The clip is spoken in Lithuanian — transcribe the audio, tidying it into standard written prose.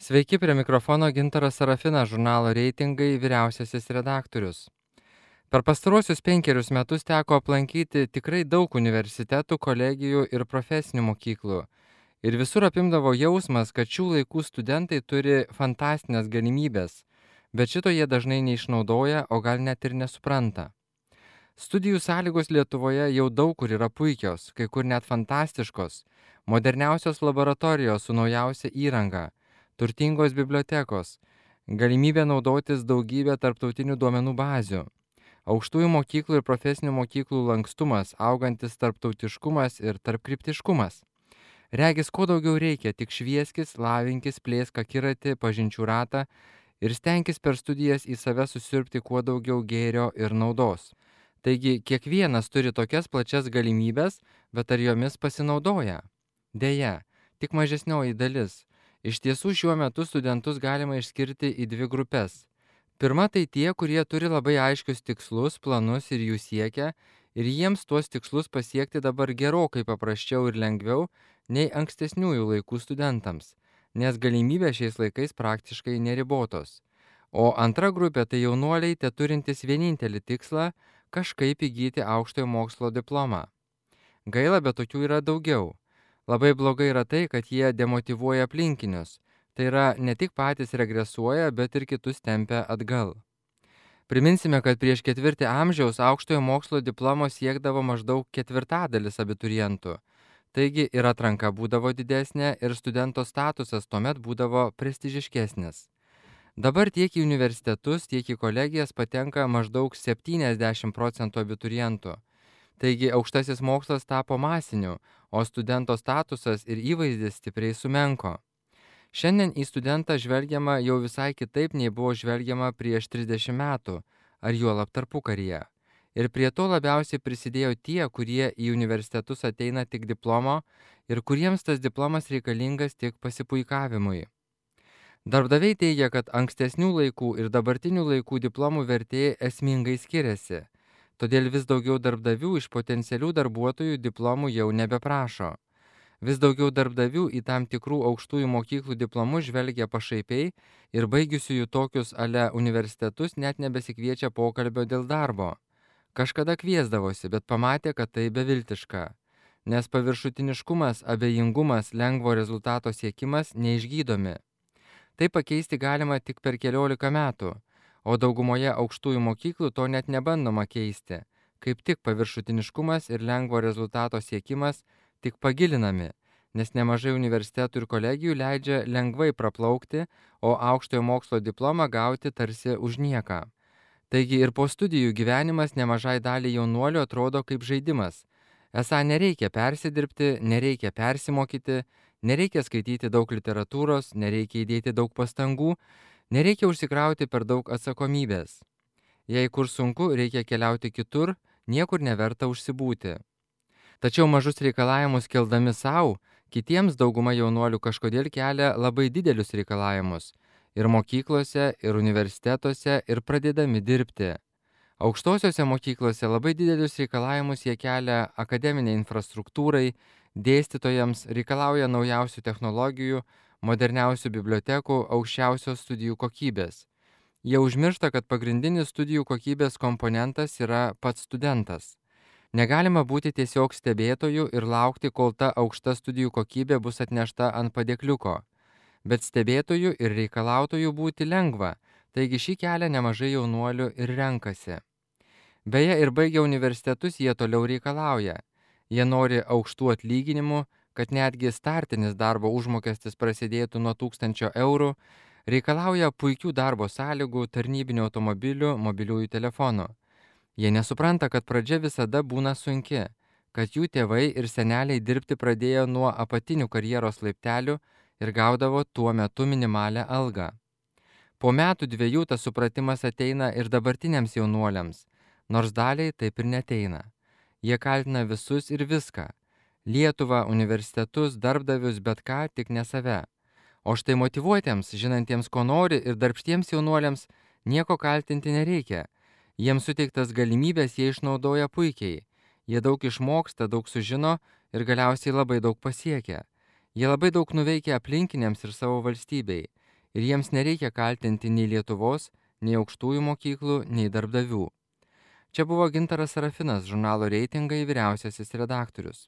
Sveiki, prie mikrofono Gintaras Sarafinas, žurnalo Reitingai vyriausiasis redaktorius. Per pastaruosius 5 metus teko aplankyti tikrai daug universitetų, kolegijų ir profesinių mokyklų. Ir visur apimdavo jausmas, kad šių laikų studentai turi fantastinės galimybės, bet šito jie dažnai neišnaudoja, o gal net ir nesupranta. Studijų sąlygos Lietuvoje jau daug kur yra puikios, kai kur net fantastiškos, moderniausios laboratorijos su naujausia įranga, turtingos bibliotekos, galimybė naudotis daugybę tarptautinių duomenų bazių, aukštųjų mokyklų ir profesinių mokyklų lankstumas, augantis tarptautiškumas ir tarpkryptiškumas. Regis, ko daugiau reikia, tik švieskis, lavinkis, plėsk akiratį, pažinčių ratą ir stenkis per studijas į save susiurbti kuo daugiau gėrio ir naudos. Taigi, kiekvienas turi tokias plačias galimybės, bet ar jomis pasinaudoja? Deja, tik mažesnioji dalis. Iš tiesų šiuo metu studentus galima išskirti į dvi grupes. Pirma, tai tie, kurie turi labai aiškius tikslus, planus ir jų siekia, ir jiems tuos tikslus pasiekti dabar gerokai paprasčiau ir lengviau nei ankstesniųjų laikų studentams, nes galimybės šiais laikais praktiškai neribotos. O antra grupė tai jaunuoliai, te turintys vienintelį tikslą – kažkaip įgyti aukštojo mokslo diplomą. Gaila, bet tokių yra daugiau. Labai blogai yra tai, kad jie demotyvuoja aplinkinius. Tai yra, ne tik patys regresuoja, bet ir kitus tempia atgal. Priminsime, kad prieš ketvirtį amžiaus aukštojo mokslo diplomo siekdavo maždaug ketvirtadalis abiturientų. Taigi ir atranka būdavo didesnė ir studento statusas tuomet būdavo prestižiškesnis. Dabar tiek į universitetus, tiek į kolegijas patenka maždaug 70% abiturientų. Taigi aukštasis mokslas tapo masiniu, o studento statusas ir įvaizdis stipriai sumenko. Šiandien į studentą žvelgiama jau visai kitaip nei buvo žvelgiama prieš 30 metų, ar juolab tarpukaryje. Ir prie to labiausiai prisidėjo tie, kurie į universitetus ateina tik diplomo ir kuriems tas diplomas reikalingas tik pasipuikavimui. Darbdaviai teigia, kad ankstesnių laikų ir dabartinių laikų diplomų vertė esmingai skiriasi. Todėl vis daugiau darbdavių iš potencialių darbuotojų diplomų jau nebeprašo. Vis daugiau darbdavių į tam tikrų aukštųjų mokyklų diplomus žvelgia pašaipiai ir baigusiųjų tokius ale universitetus net nebesikviečia pokalbio dėl darbo. Kažkada kviesdavosi, bet pamatė, kad tai beviltiška. Nes paviršutiniškumas, abejingumas, lengvo rezultato siekimas neišgydomi. Tai pakeisti galima tik per 14 metų, o daugumoje aukštųjų mokyklų to net nebandoma keisti. Kaip tik paviršutiniškumas ir lengvo rezultato siekimas tik pagilinami, nes nemažai universitetų ir kolegijų leidžia lengvai praplaukti, o aukštojo mokslo diplomą gauti tarsi už nieką. Taigi ir po studijų gyvenimas nemažai daliai jaunuolių atrodo kaip žaidimas. Esą nereikia persidirbti, nereikia persimokyti, nereikia skaityti daug literatūros, nereikia įdėti daug pastangų, nereikia užsikrauti per daug atsakomybės. Jei kur sunku, reikia keliauti kitur, niekur neverta užsibūti. Tačiau mažus reikalavimus keldami savo, kitiems dauguma jaunuolių kažkodėl kelia labai didelius reikalavimus ir mokyklose, ir universitetuose, ir pradėdami dirbti. Aukštosiose mokyklose labai didelius reikalavimus jie kelia akademiniai infrastruktūrai, dėstytojams, reikalauja naujausių technologijų, moderniausių bibliotekų, aukščiausios studijų kokybės. Jie užmiršta, kad pagrindinis studijų kokybės komponentas yra pats studentas. Negalima būti tiesiog stebėtojų ir laukti, kol ta aukšta studijų kokybė bus atnešta ant padėkliuko. Bet stebėtojų ir reikalautojų būti lengva, taigi šį kelią nemažai jaunuolių ir renkasi. Beje, ir baigę universitetus jie toliau reikalauja. Jie nori aukštų atlyginimų, kad netgi startinis darbo užmokestis prasidėtų nuo 1000 eurų, reikalauja puikių darbo sąlygų, tarnybinių automobilių, mobiliųjų telefonų. Jie nesupranta, kad pradžia visada būna sunki, kad jų tėvai ir seneliai dirbti pradėjo nuo apatinių karjeros laiptelių ir gaudavo tuo metu minimalią algą. Po metų dviejų tas supratimas ateina ir dabartiniams jaunuoliams, nors daliai taip ir neteina. Jie kaltina visus ir viską – Lietuvą, universitetus, darbdavius, bet ką, tik ne save. O štai motyvuotiems, žinantiems, ko nori ir darbštiems jaunuoliams nieko kaltinti nereikia. Jiems suteiktas galimybės jie išnaudoja puikiai. Jie daug išmoksta, daug sužino ir galiausiai labai daug pasiekia. Jie labai daug nuveikia aplinkiniams ir savo valstybei. ir jiems nereikia kaltinti nei Lietuvos, nei aukštųjų mokyklų, nei darbdavių. Čia buvo Gintaras Sarafinas, žurnalo Reitingai vyriausiasis redaktorius.